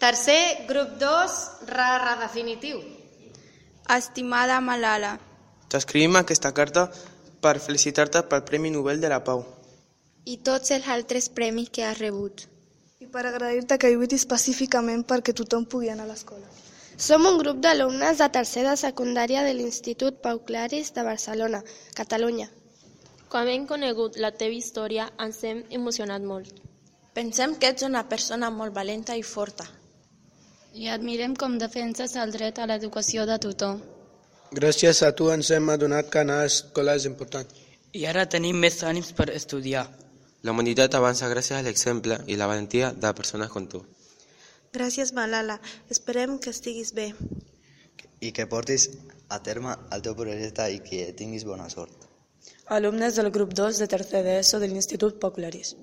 Tercer, grup 2, redefinitiu. Estimada Malala, t'escrivim aquesta carta per felicitar-te pel Premi Nobel de la Pau. i tots els altres premis que has rebut. I per agrair-te que lluitis pacíficament perquè tothom pugui anar a l'escola. Som un grup d'alumnes de tercer de secundària de l'Institut Pau Claris de Barcelona, Catalunya. Quan hem conegut la teva història ens hem emocionat molt. Pensem que ets una persona molt valenta i forta. I admirem com defenses el dret a l'educació de tothom. Gràcies a tu ens hem adonat que anar a l'escola és important. I ara tenim més ànims per estudiar. La humanitat avança gràcies a l'exemple i la valentia de persones com tu. Gràcies, Malala. Esperem que estiguis bé. I que portis a terme el teu projecte i que tinguis bona sort. Alumnes del grup 2 de tercer d'ESO de l'Institut Pau Claris.